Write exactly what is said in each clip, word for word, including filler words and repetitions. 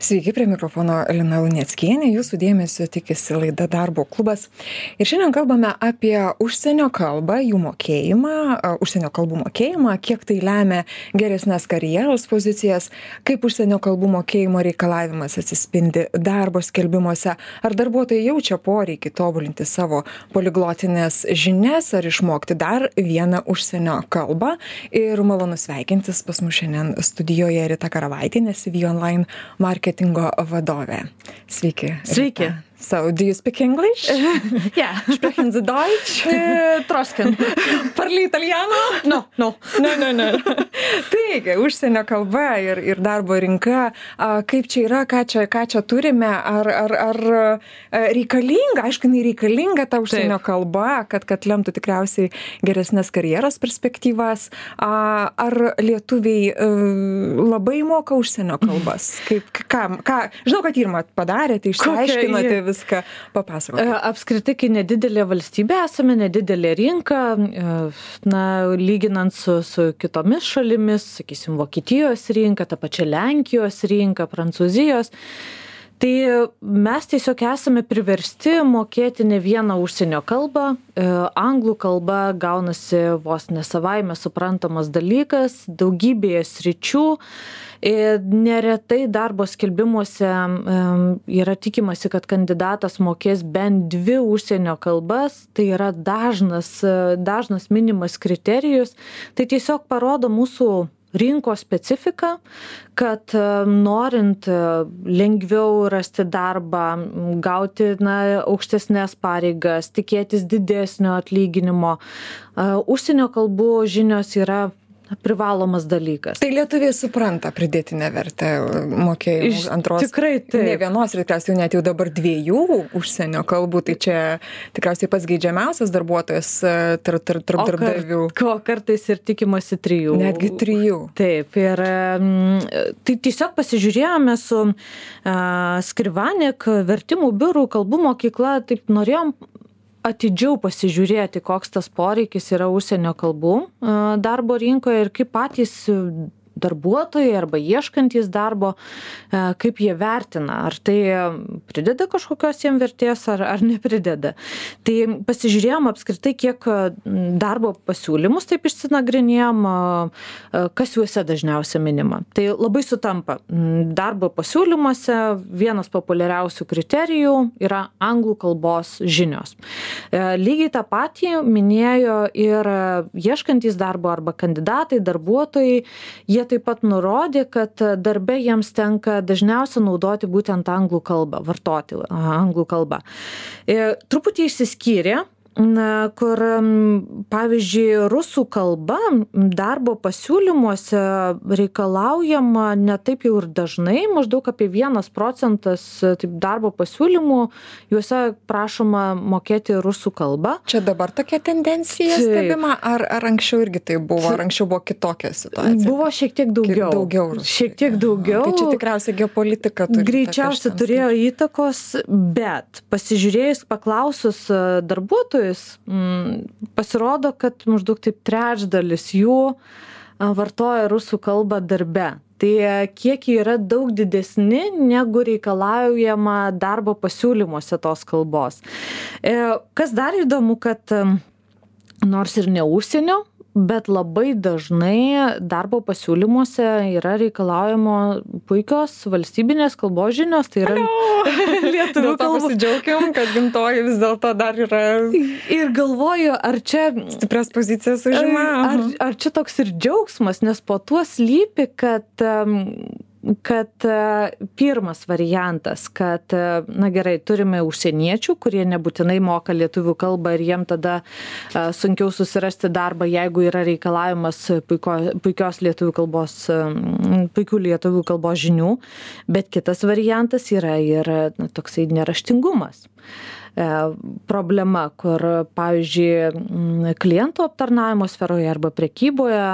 Sveiki, prie mikrofono Lina Luneckienė, jūsų dėmesio tikisi laida Darbo klubas. Ir šiandien kalbame apie užsienio kalbą, jų mokėjimą, užsienio kalbų mokėjimą, kiek tai lemia geresnės karjeros pozicijas, kaip užsienio kalbų mokėjimo reikalavimas atsispindi darbo skelbimuose, ar darbuotojai jaučia poreikį tobulinti savo poliglotinės žinias, ar išmokti dar vieną užsienio kalbą. Ir malonu sveikintis pas mus šiandien studijoje Rita Karavaitienė, C V Online marketingo vadovė. Sveiki. Sveiki. Rita. So, do you speak English? Ja. Sprechen Sie Deutsch? Eh, Trosken. Parli italiano? No, no. Ne, ne, ne. Taigi, užsienio kalba ir, ir darbo rinka, a, kaip čia yra, ką čia, ką čia turime, ar, ar, ar reikalinga, aišku, jinai reikalinga ta užsienio Taip. kalba, kad, kad lemtų tikriausiai geresnės karjeros perspektyvas, a, ar lietuviai a, labai moka užsienio kalbas? Kaip, ką, ką, žinau, kad tyrimą padarėte, išsiaiškinote viską, papasakokite. Apskritai, kai nedidelė valstybė esame, nedidelė rinka, na, lyginant su, su kitomis šalimis, sakysim, Vokietijos rinka, ta pačia Lenkijos rinka, Prancūzijos, tai mes tiesiog esame priversti mokėti ne vieną užsienio kalbą. Anglų kalba gaunasi vos ne savaime suprantamas dalykas, daugybėje sričių. Neretai darbo skelbimuose yra tikimasi, kad kandidatas mokės bent dvi užsienio kalbas, tai yra dažnas, dažnas minimas kriterijus. Tai tiesiog parodo mūsų rinkos specifiką, kad norint lengviau rasti darbą, gauti na, aukštesnės pareigas, tikėtis didesnio atlyginimo, užsienio kalbų žinios yra privalomas dalykas. Tai lietuviai supranta pridėtinę vertę mokėjimų antros. Tikrai taip. Ne vienos, ir tikriausiai net jau dabar dviejų užsienio kalbų, tai čia tikriausiai pats geidžiamiausias darbuotojas tarp tar, tar, darbdavių. Ko kartais ir tikimasi trijų. Netgi trijų. Taip. Ir tai tiesiog pasižiūrėjome su uh, Skrivanik vertimų biurų kalbų mokykla, taip norėjom atidžiau pasižiūrėti, koks tas poreikis yra užsienio kalbų darbo rinkoje ir kaip patys darbuotojai arba ieškantys darbo, kaip jie vertina, ar tai prideda kažkokios jiem vertės ar, ar neprideda. Tai pasižiūrėjom apskritai, kiek darbo pasiūlymus taip išsinagrinėjom, kas juose dažniausiai minima. Tai labai sutampa. Darbo pasiūlymuose vienas populiariausių kriterijų yra anglų kalbos žinios. Lygiai tą patį minėjo ir ieškantys darbo arba kandidatai, darbuotojai, jie taip pat nurodė, kad darbe jiems tenka dažniausiai naudoti būtent anglų kalbą, vartoti anglų kalbą. E, truputį išsiskyrė, na, kur, pavyzdžiui, rusų kalba darbo pasiūlymuose reikalaujama ne taip jau ir dažnai, maždaug apie vienas procentas taip, darbo pasiūlymų, juose prašoma mokėti rusų kalbą. Čia dabar tokia tendencija taip. Stebima, ar, ar anksčiau irgi tai buvo, ar anksčiau buvo kitokia situacija? Buvo šiek tiek daugiau. daugiau rusų. Šiek tiek daugiau. Tai čia tikriausiai geopolitika turi. Greičiausiai turėjo įtakos, bet pasižiūrėjus, paklausus darbuotojų, pasirodo, kad maždaug taip trečdalis jų vartoja rusų kalbą darbe. Tai kiekiai yra daug didesni, negu reikalaujama darbo pasiūlymuose tos kalbos. Kas dar įdomu, kad nors ir ne užsienio, bet labai dažnai darbo pasiūlymuose yra reikalaujama puikios valstybinės kalbos žinios, tai yra lietuvių kalba. Pasidžiaugiam, kad gimtoji vis dėlto dar yra. Ir galvoju, ar čia stiprias pozicijas užima. Ar, ar čia toks ir džiaugsmas, nes po tuo slypi, kad kad pirmas variantas, kad, na gerai, turime užsieniečių, kurie nebūtinai moka lietuvių kalbą ir jiem tada sunkiau susirasti darbą, jeigu yra reikalavimas puiko, puikios lietuvių kalbos, puikių lietuvių kalbos žinių, bet kitas variantas yra ir na, toksai neraštingumas. Problema, kur, pavyzdžiui, klientų aptarnavimo sferoje arba prekyboje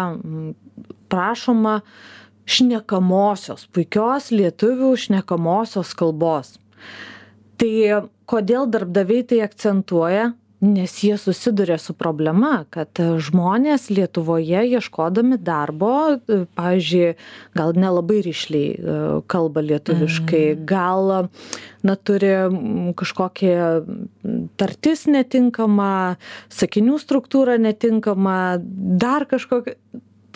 prašoma šnekamosios, puikios lietuvių šnekamosios kalbos. Tai kodėl darbdaviai tai akcentuoja? Nes jie susiduria su problema, kad žmonės Lietuvoje ieškodami darbo, pavyzdžiui, gal nelabai rišliai kalba lietuviškai, mm. gal na, turi kažkokį tartis netinkamą, sakinių struktūrą netinkamą, dar kažkokią.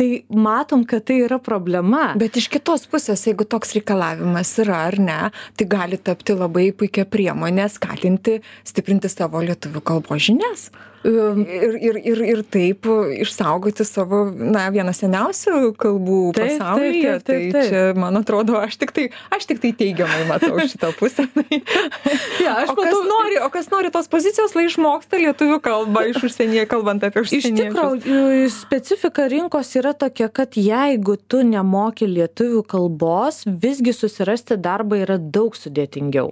Tai matom, kad tai yra problema. Bet iš kitos pusės, jeigu toks reikalavimas yra ar ne, tai gali tapti labai puikia priemonė skatinti, stiprinti savo lietuvių kalbos žinias. Ir, ir, ir, ir taip išsaugoti savo, na, vieną seniausių kalbų taip, pasaulyje. Taip, taip, taip, taip. Tai čia, man atrodo, aš tik tai, aš tik tai teigiamai matau šitą pusę. ja, aš o, kas nori, o kas nori tos pozicijos, lai išmoksta lietuvių kalbą iš užsienyje, kalbant apie užsieniečius. Iš tikrųjų, specifika rinkos yra tokia, kad jeigu tu nemoki lietuvių kalbos, visgi susirasti darbą yra daug sudėtingiau.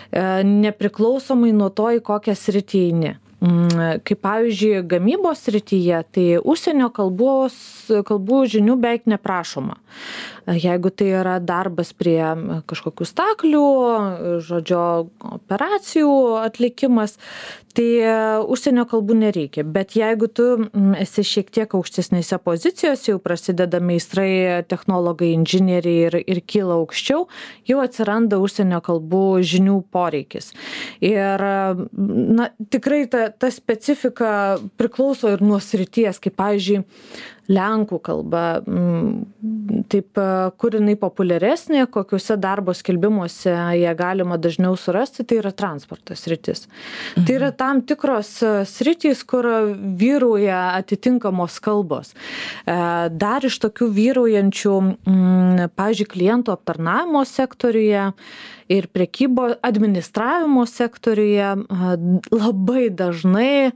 Nepriklausomai nuo to, į kokią sritį eini. Kaip pavyzdžiui, gamybos srityje, tai užsienio kalbos, kalbų žinių beveik neprašoma. Jeigu tai yra darbas prie kažkokių staklių, žodžio operacijų atlikimas, tai užsienio kalbų nereikia. Bet jeigu tu esi šiek tiek aukštesnėse pozicijose, jau prasideda meistrai, technologai, inžinieriai ir, ir kyla aukščiau, jau atsiranda užsienio kalbų žinių poreikis. Ir na, tikrai ta, ta specifika priklauso ir nuo srities, kaip pavyzdžiui, lenkų kalba, taip, kur jinai populiaresnė, kokiuose darbo skelbimuose ją galima dažniau surasti, tai yra transporto sritis. Mhm. Tai yra tam tikros sritys, kur vyrauja atitinkamos kalbos. Dar iš tokių vyraujančių, pavyzdžiui, klientų aptarnavimo sektoriuje ir prekybo administravimo sektoriuje labai dažnai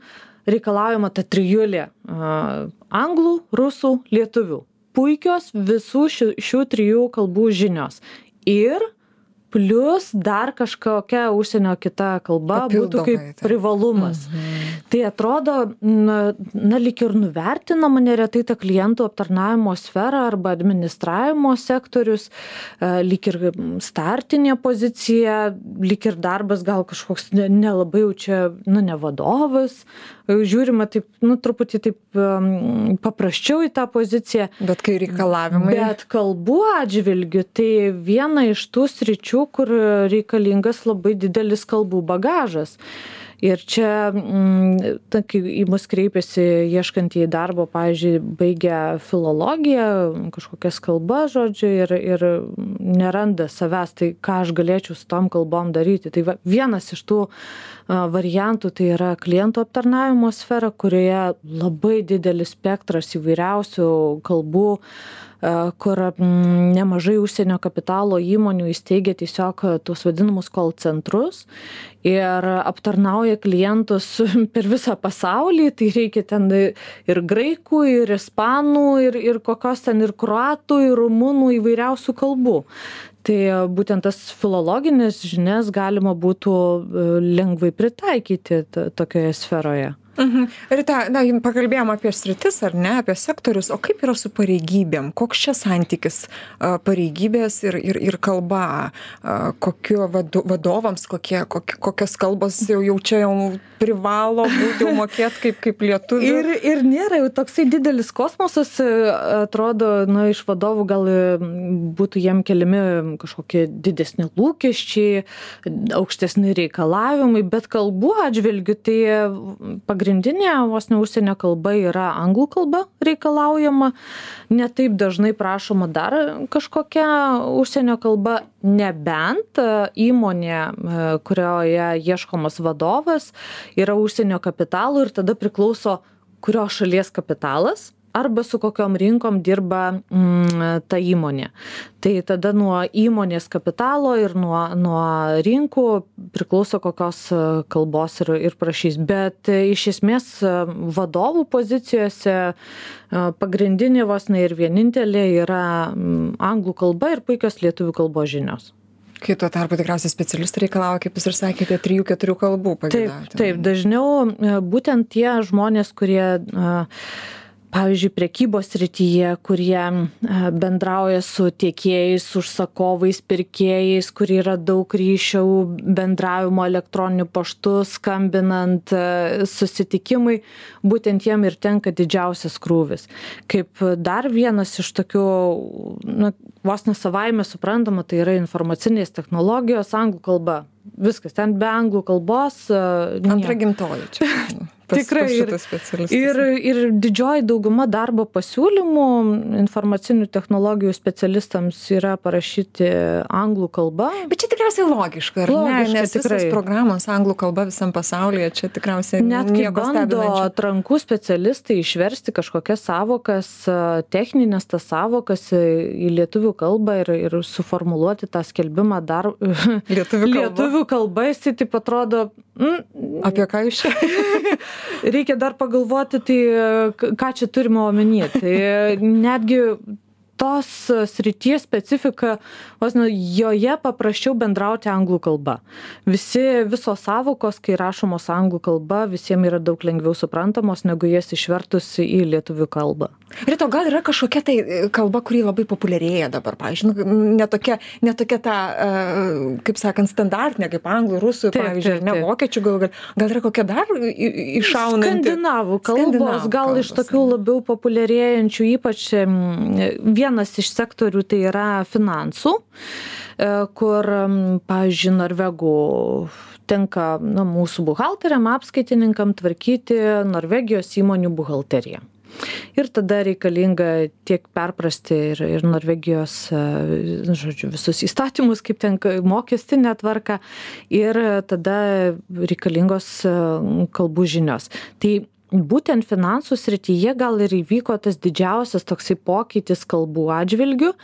reikalaujama ta trijulė anglų, rusų, lietuvių. Puikios visų šių, šių trijų kalbų žinios. Ir plus dar kažkokia užsienio kita kalba būtų kaip privalumas. Mhm. Tai atrodo, na, na lyg ir nuvertinama neretai ta klientų aptarnavimo sfera arba administravimo sektorius, lyg ir startinė pozicija, lyg ir darbas gal kažkoks nelabai jau čia, nu, ne vadovas, žiūrima taip, nu, truputį taip um, paprasčiau į tą poziciją. Bet kai reikalavimai. Bet kalbų atžvilgiu, tai viena iš tų sričių, kur reikalingas labai didelis kalbų bagažas. Ir čia, ta, kai į mus kreipiasi ieškantieji darbo, pavyzdžiui, baigia filologiją, kažkokias kalbas, žodžiu, ir, ir neranda savęs, tai ką aš galėčiau su tom kalbom daryti. Tai va, vienas iš tų variantų tai yra klientų aptarnavimo sfera, kurioje labai didelis spektras įvairiausių kalbų, kur nemažai užsienio kapitalo įmonių įsteigia tiesiog tuos vadinamus call centrus ir aptarnauja klientus per visą pasaulį, tai reikia ten ir graikų, ir ispanų, ir, ir kokios ten ir kroatų, ir rumunų įvairiausių kalbų. Tai būtent tas filologinės žinias galima būtų lengvai pritaikyti tokioje sferoje. Mhm. Rita, na, pakalbėjom apie sritis, ar ne, apie sektorius, o kaip yra su pareigybėm? Koks čia santykis pareigybės ir, ir, ir kalba? Kokio vadovams, kokie, kokie, kokios kalbos jau, jau čia jau privalo būti, jau mokėt kaip, kaip lietuvių? Ir, ir nėra jau toksai didelis kosmosas, atrodo, na, iš vadovų gal būtų jiem keliami kažkokie didesni lūkesčiai, aukštesni reikalavimai, bet kalbų atžvilgiu tai pagrindinė vos ne užsienio kalba yra anglų kalba reikalaujama, ne taip dažnai prašoma dar kažkokia užsienio kalba, nebent įmonė, kurioje ieškomas vadovas, yra užsienio kapitalo ir tada priklauso kurios šalies kapitalas arba su kokiom rinkom dirba mm, ta įmonė. Tai tada nuo įmonės kapitalo ir nuo, nuo rinkų priklauso kokios kalbos ir, ir prašys. Bet iš esmės vadovų pozicijose pagrindinė vos ne ir vienintelė yra anglų kalba ir puikios lietuvių kalbos žinios. Kai tuo tarpu tikriausiai specialistai reikalauja, kaip jūs ir sakėte, trijų, keturių kalbų pageidauti. Taip, taip, dažniau būtent tie žmonės, kurie pavyzdžiui, prekybos srityje, kurie bendrauja su tiekėjais, užsakovais, pirkėjais, kur yra daug ryšių, bendravimo elektroniniu paštu, skambinant, susitikimai, būtent jiem ir tenka didžiausias krūvis. Kaip dar vienas iš tokių, na, vos ne savaime suprantama, tai yra informacinės technologijos, anglų kalba. Viskas, ten be anglų kalbos. Antra gimtoji čia. Pas, Tikrai. Pas ir, ir, ir didžioji dauguma darbo pasiūlymų informacinių technologijų specialistams yra parašyti anglų kalba. Bet čia tikriausiai logiška, ar logiška, ne? Nes tikrai. Visos programos anglų kalba visam pasaulyje, čia tikriausiai net kai nieko bando stebinančio. atrankų specialistai išversti kažkokias savokas, techninės tas savokas į lietuvių kalbą ir, ir suformuluoti tą skelbimą dar lietuvių kalba. lietuvių kalba, jis taip atrodo. Mm, Apie ką jūs čia? Reikia dar pagalvoti, tai ką čia turime omeny. Tai netgi tos srities specifika, vos ne, joje paprasčiau bendrauti anglų kalba. Visi, visos savokos, kai rašomos anglų kalba, visiems yra daug lengviau suprantamos, negu jas išvertus į lietuvių kalbą. Ir to gal yra kažkokia tai kalba, kuri labai populiarėja dabar, pavyzdžiui, netokia, netokia ta, kaip sakant, standartinė, kaip anglų, rusų, taip, pavyzdžiui, taip, taip. Ne vokiečių, gal, gal yra kokia dar iššaunanti? Skandinavų kalbos, Skandinavų gal kalbos, iš tokių labiau populiarėjančių, ypač vienas iš sektorių tai yra finansų, kur, pavyzdžiui, norvegų tenka, na, mūsų buhalteriam, apskaitininkam tvarkyti Norvegijos įmonių buhalteriją. Ir tada reikalinga tiek perprasti ir, ir Norvegijos, žodžiu, visus įstatymus, kaip ten mokestinė tvarka, ir tada reikalingos kalbų žinios. Tai būtent finansų srityje gal ir įvyko tas didžiausias toksai pokytis kalbų atžvilgių,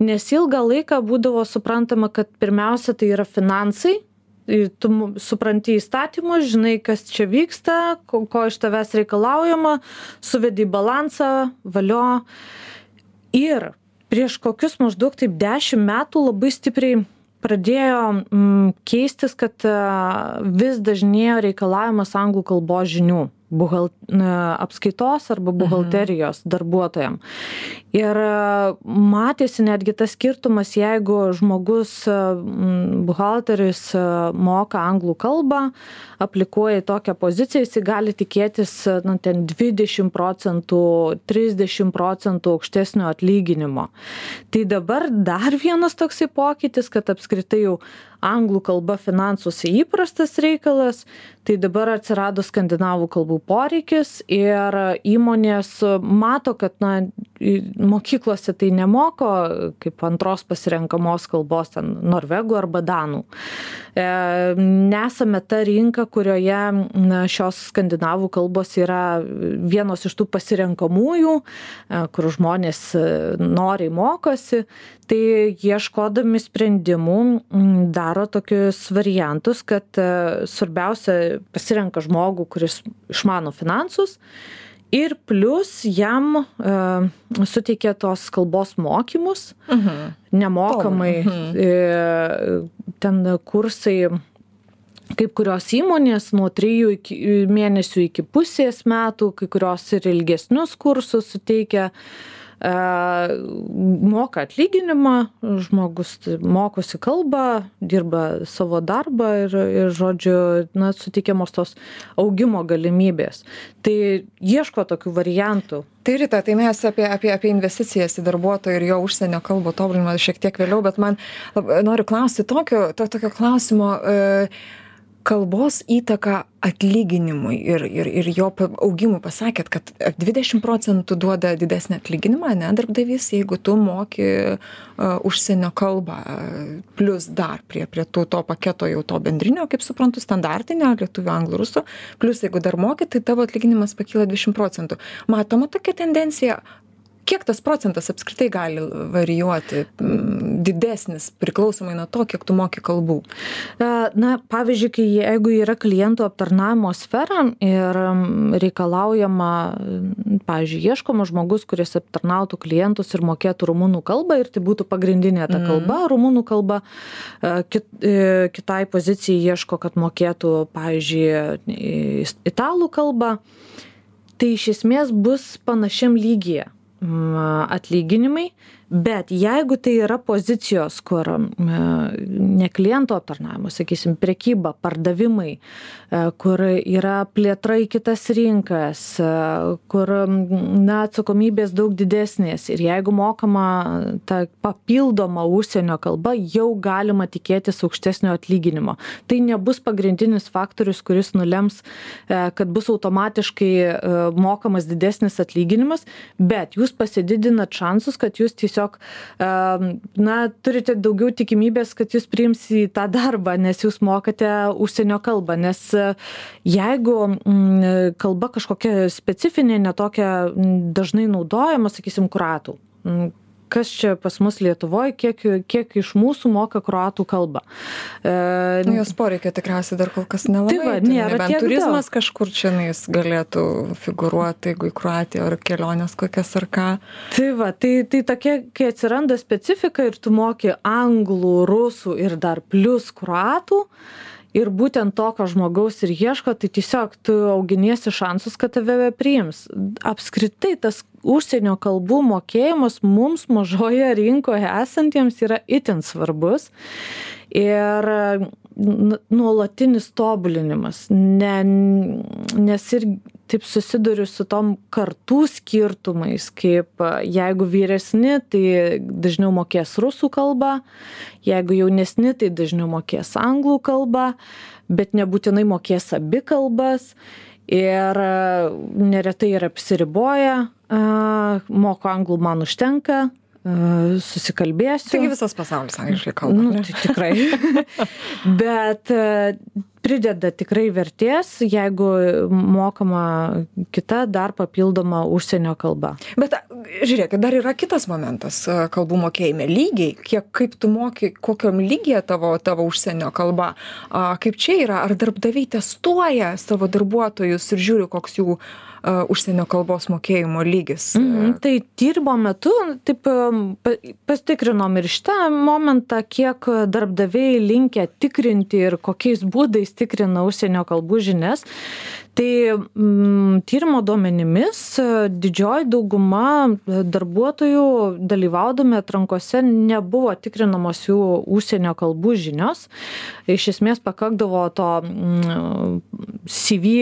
nes ilgą laiką būdavo suprantama, kad pirmiausia tai yra finansai. Tu supranti įstatymus, žinai, kas čia vyksta, ko, ko iš tavęs reikalaujama, suvedi į balansą, valio. Ir prieš kokius maždaug taip dešimt metų labai stipriai pradėjo mm, keistis, kad uh, vis dažnėjo reikalavimas anglų kalbos žinių. Buhalt, apskaitos arba buhalterijos darbuotojam. Ir matėsi netgi tas skirtumas, jeigu žmogus, buhalteris moka anglų kalbą, aplikuoja į tokią poziciją, jis gali tikėtis, na, ten dvidešimt procentų, trisdešimt procentų aukštesnio atlyginimo. Tai dabar dar vienas toksai pokytis, kad apskritai jau anglų kalba finansuose įprastas reikalas, tai dabar atsirado skandinavų kalbų poreikis ir įmonės mato, kad, na, mokyklose tai nemoko kaip antros pasirenkamos kalbos ten norvegų arba danų. E, nesame ta rinka, kurioje, na, šios skandinavų kalbos yra vienos iš tų pasirenkamųjų, e, kur žmonės noriai mokosi. Tai ieškodami sprendimų daro tokius variantus, kad svarbiausia pasirenka žmogų, kuris išmano finansus ir plus jam uh, suteikia tos kalbos mokymus, uh-huh. nemokamai. Uh-huh. Ten kursai, kaip kurios įmonės nuo trijų iki, mėnesių iki pusės metų, kai kurios ir ilgesnius kursus suteikia. Moka atlyginimą, žmogus mokosi kalbą, dirba savo darbą ir, ir žodžiu, na, suteikiamos tos augimo galimybės. Tai ieško tokių variantų. Tai Rita, tai mes apie, apie, apie investicijas į darbuotoją ir jo užsienio kalbų tobulinimą šiek tiek vėliau, bet man noriu klausti tokio, to, tokio klausimo, e, kalbos įtaka atlyginimui ir, ir, ir jo augimui. Pasakėt, kad dvidešimt procentų duoda didesnį atlyginimą, ne, darbdavys, jeigu tu moki uh, užsienio kalbą, plus dar prie, prie tų, to paketo jau to bendrinio, kaip suprantu, standartinio, lietuvių, anglų, rusų, plus jeigu dar moki, tai tavo atlyginimas pakyla dvidešimt procentų. Matoma tokia tendencija. Kiek tas procentas apskritai gali varijuoti, didesnis, priklausomai nuo to, kiek tu moki kalbų? Na, pavyzdžiui, kai jeigu yra klientų aptarnavimo sfera ir reikalaujama, pavyzdžiui, ieškoma žmogus, kuris aptarnautų klientus ir mokėtų rumunų kalbą, ir tai būtų pagrindinė ta kalba, mm. rumunų kalba, kit, kitai pozicijai ieško, kad mokėtų, pavyzdžiui, italų kalbą. tai iš esmės bus panašiam lygyje atlyginimai, bet jeigu tai yra pozicijos, kur ne kliento aptarnavimas, sakysim, prekyba, pardavimai, kur yra plėtra į kitas rinkas, kur na, atsakomybės daug didesnės ir jeigu mokama ta papildoma užsienio kalba, jau galima tikėtis aukštesnio atlyginimo. Tai nebus pagrindinis faktorius, kuris nulems, kad bus automatiškai mokamas didesnis atlyginimas, bet jūs pasididinat šansus, kad jūs tiesiog, na, turite daugiau tikimybės, kad jūs priims į tą darbą, nes jūs mokate užsienio kalbą, nes jeigu kalba kažkokia specifinė, netokia dažnai naudojama, sakysim, kroatų. Kas čia pas mus Lietuvoje, kiek, kiek iš mūsų moka kroatų kalbą. E, nu, jos poreikia tikriausiai dar kol kas nelabai. Tai va, nėra tiek turizmas daug. Kažkur čia jis galėtų figuruoti, jeigu į Kroatiją ar kelionės kokias ar ką. Tai va, tai, tai tokia, kai atsiranda specifika ir tu moki anglų, rusų ir dar plus kroatų, ir būtent tokio žmogaus ir ieško, tai tiesiog tu auginiesi šansus, kad tave priims. Apskritai tas užsienio kalbų mokėjimas mums mažoje rinkoje esantiems yra itin svarbus ir nuolatinis tobulinimas, ne, nes ir taip susiduriu su tom kartų skirtumais, kaip jeigu vyresni, tai dažniau mokės rusų kalbą, jeigu jaunesni, tai dažniau mokės anglų kalbą, bet nebūtinai mokės abi kalbas ir neretai yra apsiriboję, moko anglų man užtenka, susikalbėsiu. Taigi visas pasaulis angliškai kalba. Nu, tai tikrai. Bet prideda tikrai vertės, jeigu mokama kita dar papildoma užsienio kalba. Bet žiūrėkit, dar yra kitas momentas kalbų mokėjime. Lygiai, kiek, kaip tu moki, kokiam lygyje tavo, tavo užsienio kalba. A, kaip čia yra, ar darbdaviai testuoja savo darbuotojus ir žiūri, koks jų uh, užsienio kalbos mokėjimo lygis? Mm, tai tyrimo metu taip pasitikrinom ir šitą momentą, kiek darbdaviai linkę tikrinti ir kokiais būdais tikrina užsienio kalbų žinias. Tai mm, tyrimo duomenimis didžioji dauguma darbuotojų dalyvaudami atrankose nebuvo tikrinamos jų užsienio kalbų žinios. Iš esmės pakakdavo to mm, C V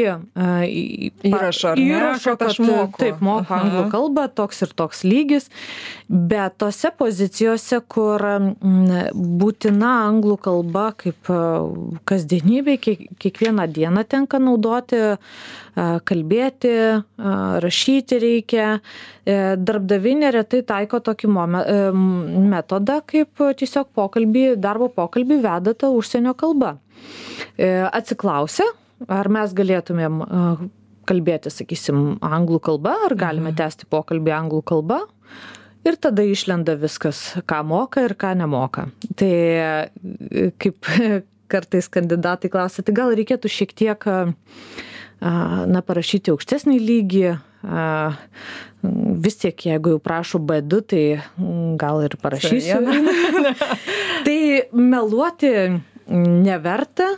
įrašo, ar ne, įrašo, kad aš moku. Taip, moku anglų kalbą, toks ir toks lygis. Bet tose pozicijose, kur mm, būtina anglų kalba kaip kasdienybė, kiek, kiekvieną dieną tenka naudoti, kalbėti, rašyti reikia. Darbdaviai neretai taiko tokį metodą, kaip tiesiog pokalbį, darbo pokalbį veda ta užsienio kalba. Atsiklausia, ar mes galėtumėm kalbėti, sakysim, anglų kalba, ar galime tęsti pokalbį anglų kalba. Ir tada išlenda viskas, ką moka ir ką nemoka. Tai kaip kartais kandidatai klausia, tai gal reikėtų šiek tiek na, parašyti aukštesnį lygį, vis tiek, jeigu jau prašo B du, tai gal ir parašysiu. Tai meluoti neverta,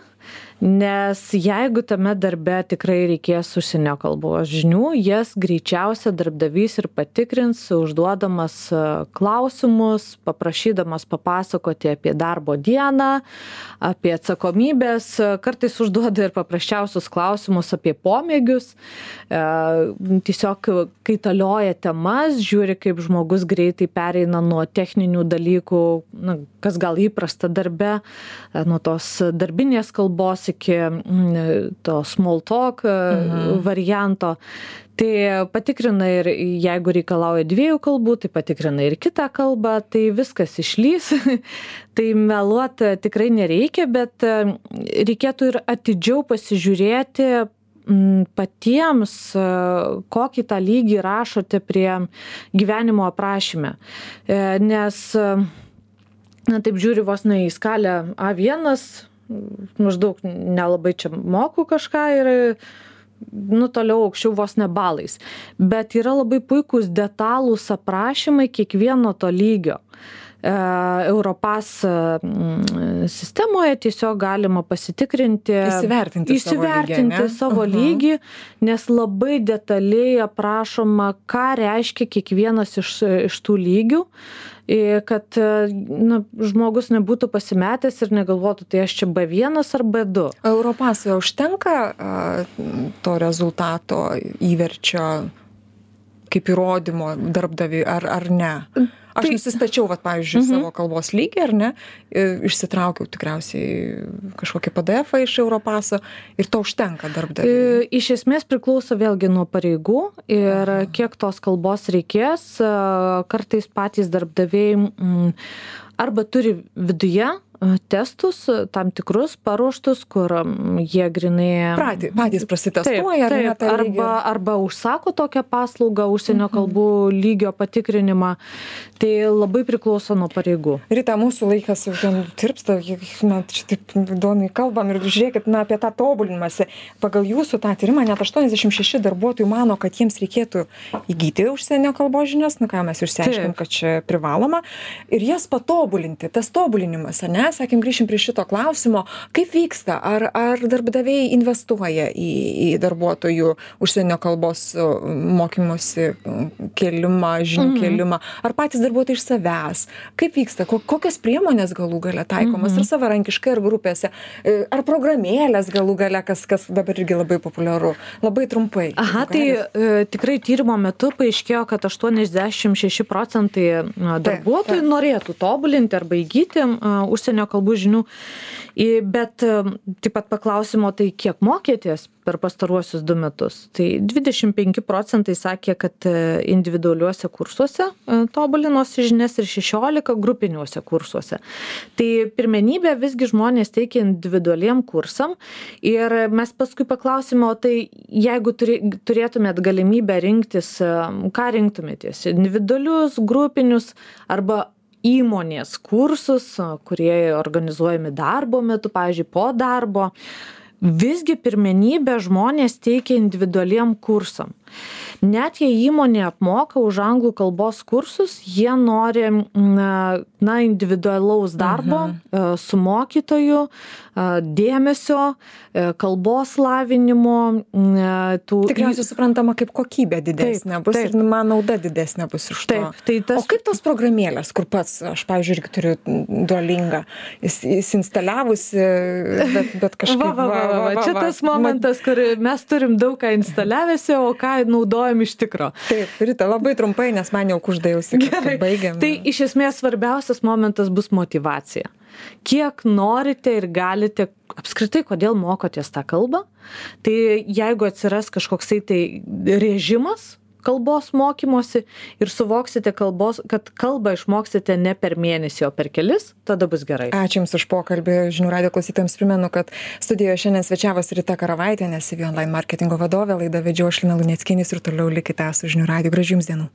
nes jeigu tame darbe tikrai reikės užsienio kalbos žinių, jas greičiausia darbdavys ir patikrins, užduodamas klausimus, paprašydamas papasakoti apie darbo dieną, apie atsakomybės, kartais užduoda ir paprasčiausius klausimus apie pomėgius, tiesiog kaitalioja temas, žiūri, kaip žmogus greitai pereina nuo techninių dalykų, na, kas gal įprasta darbe, nuo tos darbinės kalbos iki to small talk mhm. varianto. Tai patikrina ir jeigu reikalauja dviejų kalbų, tai patikrina ir kitą kalbą, tai viskas išlys. Tai meluoti tikrai nereikia, bet reikėtų ir atidžiau pasižiūrėti patiems, kokį tą lygį rašote prie gyvenimo aprašyme. Nes, na taip žiūri vos ne į skalę A vienas, maždaug nelabai čia moku kažką ir nu, toliau aukščiau vos ne balais. Bet yra labai puikūs detalūs aprašymai kiekvieno to lygio. Europass sistemoje tiesiog galima pasitikrinti, įsivertinti, įsivertinti savo lygį, savo lygį, nes labai detaliai aprašoma, ką reiškia kiekvienas iš, iš tų lygių, kad na, žmogus nebūtų pasimetęs ir negalvotų, tai aš čia B vienas ar B du. Europass'e užtenka to rezultato įverčio kaip įrodymo darbdaviui ar, ar ne? Aš tai, nusistačiau, vat, pavyzdžiui, uh-huh. savo kalbos lygį, ar ne, išsitraukiau tikriausiai kažkokį P D F-ą iš Europass'o ir to užtenka darbdaviui. Iš esmės priklauso vėlgi nuo pareigų ir uh-huh. kiek tos kalbos reikės. Kartais patys darbdaviai m, arba turi viduje testus tam tikrus paruoštus, kur jie grinai Prati, patys prasitestuoja. Taip, taip, arba, arba užsako tokią paslaugą, užsienio kalbų lygio patikrinimą. Tai labai priklauso nuo pareigų. Rita, mūsų laikas jau ten tirpsta, na, čia taip įdomiai kalbam ir žiūrėkit, na, apie tą tobulinimąsi. Pagal jūsų tą tyrimą net aštuoniasdešimt šeši darbuotojų mano, kad jiems reikėtų įgyti užsienio kalbos žinias, nu ką mes išsiaiškinom, kad čia privaloma, ir jas patobulinti, tas tobulinimas, ar ne? Sakėm, grįšim prie šito klausimo, kaip vyksta, ar, ar darbdaviai investuoja į, į darbuotojų užsienio kalbos mokymosi kėlimą, žinių mm-hmm. kėlimą, ar patys darbuotojai iš savęs, kaip vyksta, kokios priemonės galų gale taikomas, mm-hmm. ar savarankiškai, ar grupėse, ar programėlės galų gale, kas, kas dabar irgi labai populiaru, labai trumpai. Aha, tai e, tikrai tyrimo metu paaiškėjo, kad aštuoniasdešimt šeši procentai darbuotojų taip, taip. norėtų tobulinti arba įgyti uh, užsienio kalbų žinių, bet taip pat paklausimo, tai kiek mokėtės per pastaruosius du metus. Tai dvidešimt penki procentai sakė, kad individualiuose kursuose tobulinosi žinias ir šešiolika grupiniuose kursuose. Tai pirmenybė visgi žmonės teikia individualiem kursam ir mes paskui paklausimo, tai jeigu turėtumėt galimybę rinktis, ką rinktumėtės? Individualius, grupinius arba įmonės kursus, kurie organizuojami darbo metu, pavyzdžiui, po darbo, visgi pirmenybę žmonės teikia individualiem kursam. Net jei įmonė apmoka už anglų kalbos kursus, jie nori na, na individualaus darbo uh-huh. su mokytoju, dėmesio, kalbos lavinimo. Tų... Tikriausiai suprantama, kaip kokybė didesnė bus taip. Ir man nauda didesnė bus iš to. Taip, tai tas... O kaip tos programėlės, kur pats, aš pavyzdžiui, irgi turiu Duolingą, įsinstaliavusi, bet, bet kažkaip... Va, va, va, va, va. Čia tas momentas, kur mes turim daug ką instaliavęsi, o ką naudojam iš tikro. Taip, Rita, labai trumpai, nes man jau kuždėjausi, kad baigiam. Tai iš esmės svarbiausias momentas bus motyvacija. Kiek norite ir galite, apskritai, kodėl mokotės tą kalbą, tai jeigu atsiras kažkoksai tai režimas kalbos mokymosi ir suvoksite kalbos, kad kalbą išmoksite ne per mėnesį, o per kelis, tada bus gerai. Ačiū Jums už pokalbį. Žinių radijo klausytojams primenu, kad studijoje šiandien svečiavosi Rita Karavaitienė, C V Online marketingo vadovė, laidą vedžiau aš Lina Luneckienė ir toliau likite su Žinių radiju. Gražių Jums dienų.